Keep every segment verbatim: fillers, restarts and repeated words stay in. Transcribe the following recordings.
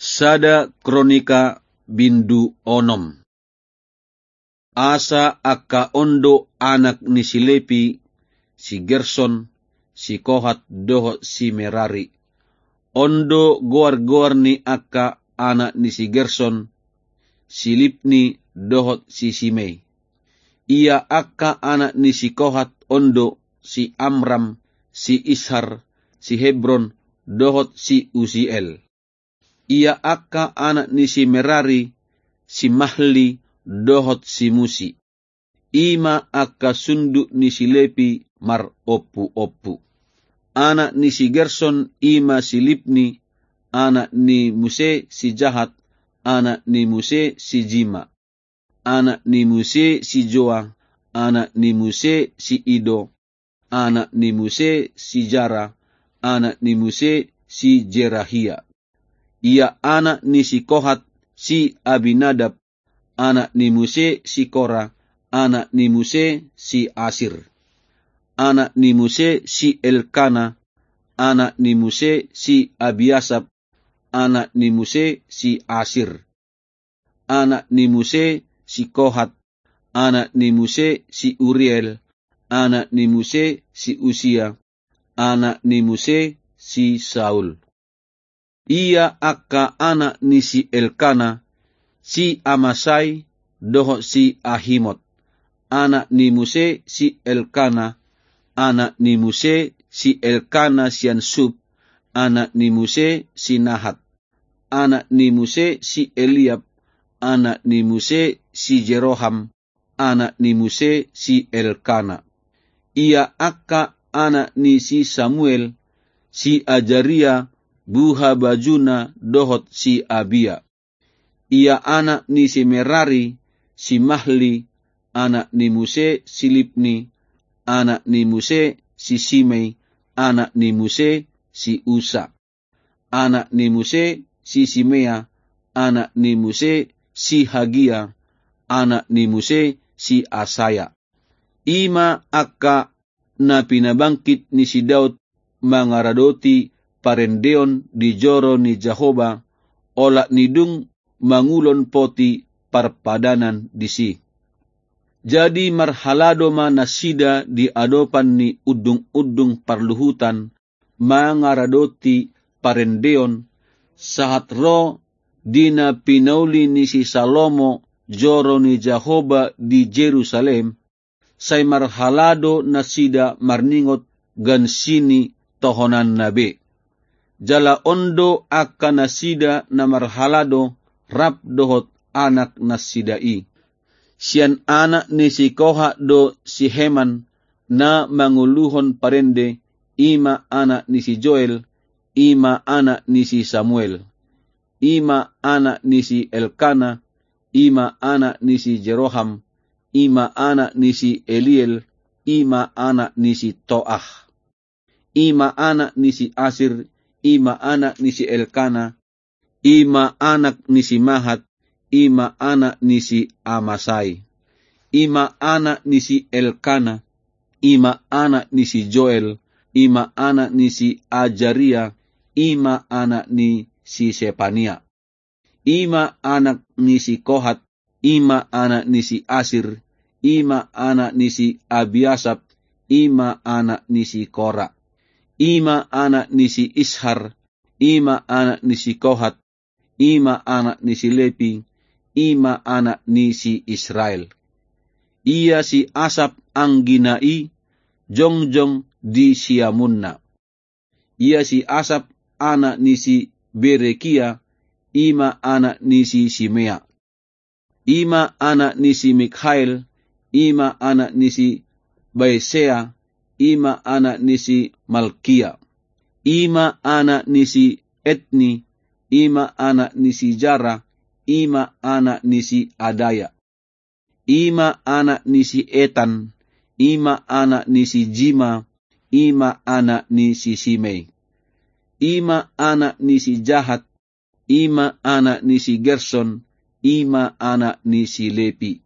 Sada Kronika bindu onom. Asa angka on do anak ni si Lepi, si Gerson, si Kohat dohot si Merari. On do goar-goar ni angka anak ni si Gerson, si Libni dohot si Simei. Ia angka anak ni si Kohat on do si Amram, si Ishar, si Hebron, dohot si Usiel. Ia angka anak ni si Merari, si Mahli, dohot si Musi. I ma angka sundut ni si Lepi marompu-ompu. Anak ni si Gerson i ma si Libni, anak ni muse si Jahat, anak ni muse si Jima, anak ni muse si Joa, anak ni muse si Ido, anak ni muse si Jara, anak ni muse si Jerahia. Ia anak ni si Kohat si Abinadab, anak ni muse si Kora, anak ni muse si Asir, anak ni muse si Elkana, anak ni muse si Abiasap, anak ni muse si Asir, anak ni muse si Kohat, anak ni muse si Uriel, anak ni muse si Usia, anak ni muse si Saul. Ia angka anak ni si Elkana, si Amasai, dohot si Ahimot, anak ni muse si Elkana, anak ni muse si Elkana sian Sub, anak ni muse si Nahat, anak ni muse si Eliab, anak ni muse si Jeroham, anak ni muse si Elkana. Ia angka anak ni si Samuel, si Ajaria, buhabajuna dohot si Abia. Ia anak ni si Merari, si Mahli, anak ni muse si Libni, anak ni muse si Simei, anak ni muse si Usa, anak ni muse si Simea, anak ni muse si Hagia, anak ni muse si Asaya. I ma angka na pinabangkit ni si Daud mangaradoti parendeon di joro ni Jahowa, olat ni dung mangulon poti parpadanan disi. Jadi marhalado ma nasida di adopan ni undung-undung parluhutan, mangaradoti parendeon, sahat ro di na pinauli ni si Salomo joro ni Jahowa di Jerusalem, sai marhalado nasida marningot gansi ni tohonanna be. Jala on do angka nasida na marhalado rap dohot anak nasida i. Sian anak ni si Kohat do si Heman na manguluhon parende, i ma anak ni si Joel, i ma anak ni si Samuel, i ma anak ni si Elkana, i ma anak ni si Jeroham, i ma anak ni si Eliel, i ma anak ni si Toah, i ma anak ni si Asir, i ma anak ni si Elkana, i ma anak ni si Mahat, i ma anak ni si Amasai, i ma anak ni si Elkana, i ma anak ni si Joel, i ma anak ni si Ajaria, i ma anak ni si Sepania. I ma anak ni si Kohat, i ma anak ni si Asir, i ma anak ni si Abiasap, i ma anak ni si Kora. I ma anak ni si Ishar, i ma anak ni si Kohat, i ma anak ni si Lepi, i ma anak ni si Israel. Ia si Asap anggina i jongjong di siamunna. Ia si Asap anak ni si Berekia, i ma anak ni si Simea. I ma anak ni si Mikhael, i ma anak ni si Baesea, i ma anak ni si Malkia. I ma anak ni si Etni, i ma anak ni si Jara, i ma anak ni si Adaya. I ma anak ni si Etan, i ma anak ni si Jima, i ma anak ni si Simei. I ma anak ni si Jahat, i ma anak ni si Gerson, i ma anak ni si Lepi.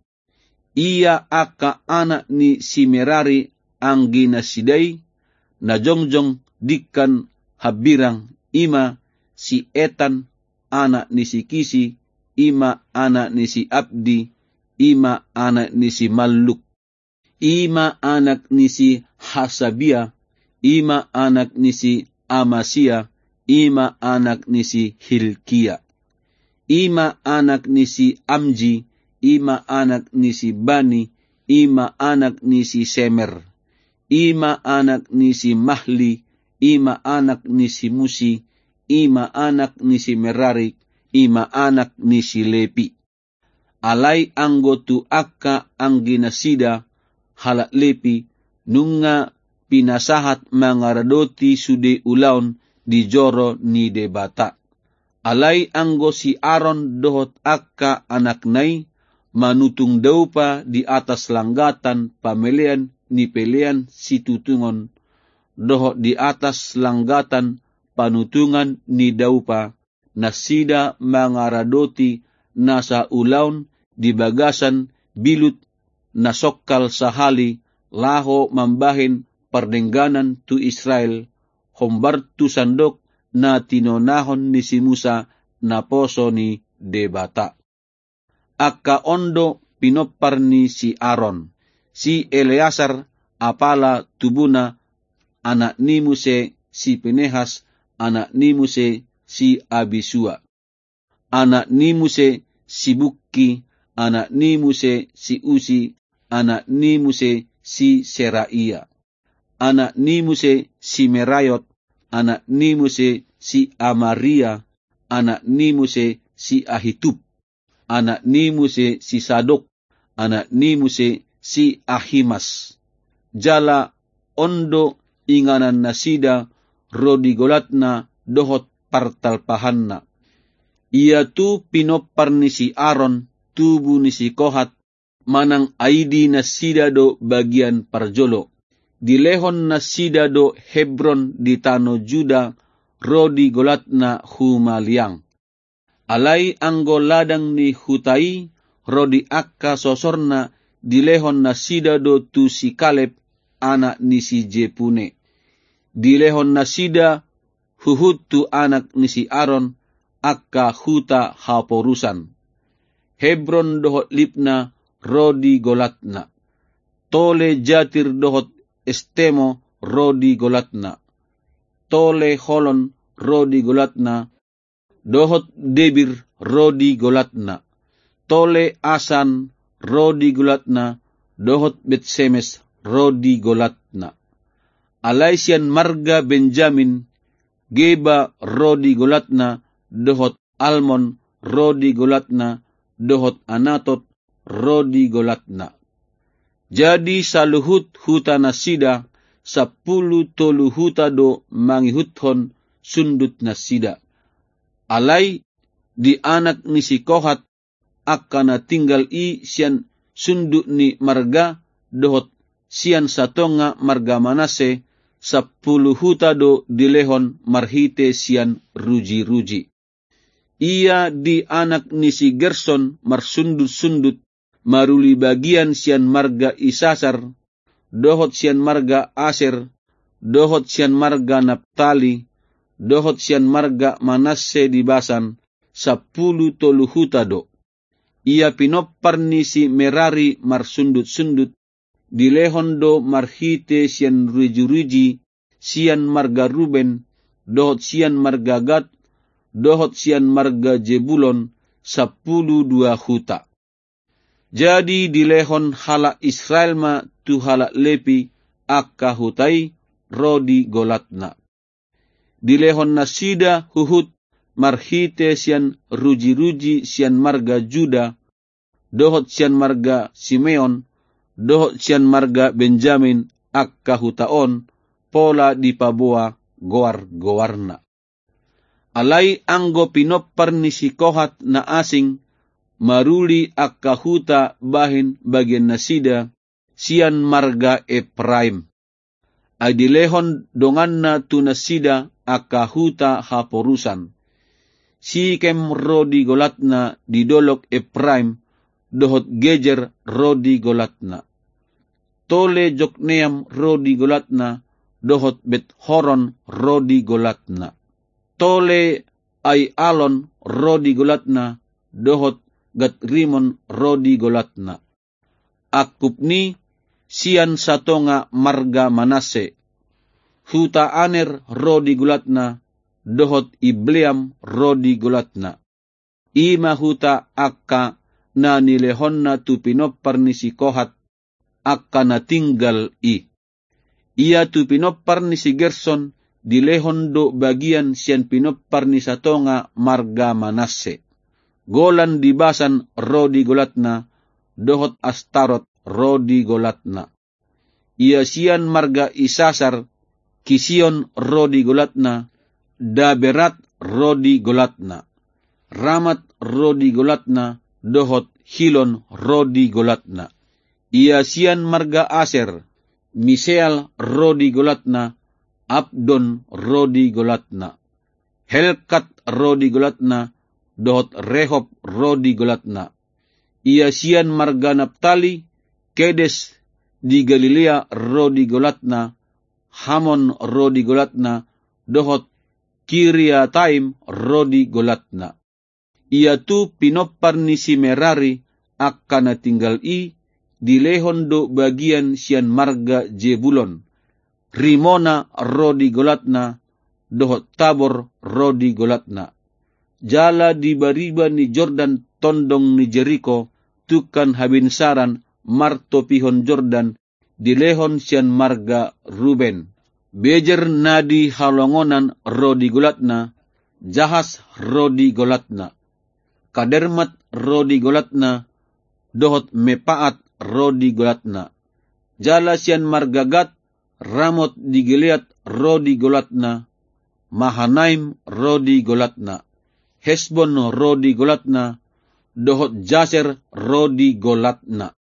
Ia angka anak ni si Merari anggina sidai, na jongjong dingkan hambirang, i ma si Etan, anak ni si Kisi, i ma anak ni si Abdi, i ma anak ni si Malluk. I ma anak ni si Hasabia, i ma anak ni si Amasia, i ma anak ni si Hilkia. I ma anak ni si Amji, i ma anak ni si Bani, i ma anak ni si Semer. I ma anak ni si Mahli, i ma anak ni si Musi, i ma anak ni si Merari, i ma anak ni si Lepi. Alai anggo tu angka angginasida halak Lepi, nunga pinasahat mangaradoti sude ulaon di joro ni Debata. Alai anggo si Aron dohot angka anakna i manutung daupa di atas langgatan pamelean ni pelean situtungon, dohot di atas langgatan panutungan ni daupa, nasida mangaradoti nasa ulaon di bagasan bilut na songkal sahali laho mambahen pardengganan tu Israel, hombar tu sandok na tinonahon ni si Musa naposo ni Debata. Angka on do pinompar ni si Aron: si Eleasar, apala tubuna, anak ni muse si Pinehas, anak ni muse si Abisua, anak ni muse si Bukki, anak ni muse si Usi, anak ni muse si Seraia, anak ni muse si Meraiot, anak ni muse si Amaria, anak ni muse si Ahitub, anak ni muse si Sadok, anak ni muse si Ahimas. Jala on do inganannasida ro di golatna dohot partalpahanna. Ia tu pinompar ni si Aron, tubu ni si Kohat, manang aidinasida do bagian parjolo. Dilehon nasida do Hebron di tano Juda ro di golatna humaliang. Alai anggo ladang ni huta i ro di angka sosorna dilehon nasida do tu si Kaleb, anak ni si Jepune. Dilehon nasida huhut tu anak ni si Aron angka huta haporusan. Hebron dohot Libna ro di golatna. Tole Jatir dohot Estemo ro di golatna. Tole Holon ro di golatna, dohot Debir ro di golatna. Tole Asan ro di golatna, dohot Betsemes ro di golatna. Alai sian marga Benjamin, Geba ro di golatna, dohot Almon ro di golatna, dohot Anatot ro di golatna. Jadi saluhut hutanasida, sampulu tolu huta do mangihuthon sundutnasida. Alai di anak ni si Kohat, angka na tinggal i sian sundut ni marga dohot sian satonga marga Manasse, sampulu huta do dilehon marhite sian rujiruji. Ia di anak ni si Gerson marsundutsundut, maruli bagian sian marga Isasar, dohot sian marga Aser, dohot sian marga Naptali, dohot sian marga Manasse di Basan, sampulu tolu huta do. Ia pinompar ni si Merari marsundutsundut, dilehon do marhite sian rujiruji sian marga Ruben, dohot sian marga Gad, dohot sian marga Jebulon, sampulu dua huta. Jadi dilehon halak Israel ma tu halak Lepi angka huta i ro di golatna. Dilehon nasida huhut marhite sian rujiruji sian marga Juda, dohot sian marga Simeon, dohot sian marga Benjamin angka huta on, pola dipaboa goargoarna. Alai anggo pinompar ni si Kohat na asing maruli angka huta bahen bagiannasida sian marga Epraim. Ai dilehon donganna tu nasida angka huta haporusan. Sikem ro di golatna di dolok Epraim, dohot Gejer ro di golatna. Tole Jokneam ro di golatna, dohot Bet Horon ro di golatna. Tole Aialon ro di golatna, dohot Gatrimon ro di golatna. Angkup ni sian satonga marga Manasse, huta Aner ro di golatna, dohot Ibleam ro di golatna. I ma huta angka na nilehonna tu pinompar ni si Kohat, angka na tinggal i. Ia tu pinompar ni si Gerson dilehon do bagian sian pinompar ni satonga marga Manasse. Golan di Basan ro di golatna, dohot Astarot ro di golatna. Ia sian marga Isasar, Kision ro di golatna, Daberat ro di golatna. Ramat ro di golatna, dohot Hilon ro di golatna. Ia sian marga Aser, Miseal ro di golatna, Abdon ro di golatna. Helkat ro di golatna, dohot Rehob ro di golatna. Ia sian marga Naptali, Kedes di Galilea ro di golatna, Hamon ro di golatna, dohot Kiriataim ro di golatna. Ia tu pinompar ni si Merari, angka na tinggal i, dilehon do bagian sian marga Jebulon. Rimona ro di golatna, dohot Tabor ro di golatna. Jala di bariba ni Jordan tondong ni Jeriko, tungkan habinsaran martopihon Jordan, dilehon sian marga Ruben. Bejer na di halongonan ro di golatna, Jahas ro di golatna. Kadermat ro di golatna, dohot Mepaat ro di golatna. Jala sian marga Gad, Ramot di Gilead ro di golatna, Mahanaim ro di golatna, Hesbon ro di golatna, dohot Jaser ro di golatna.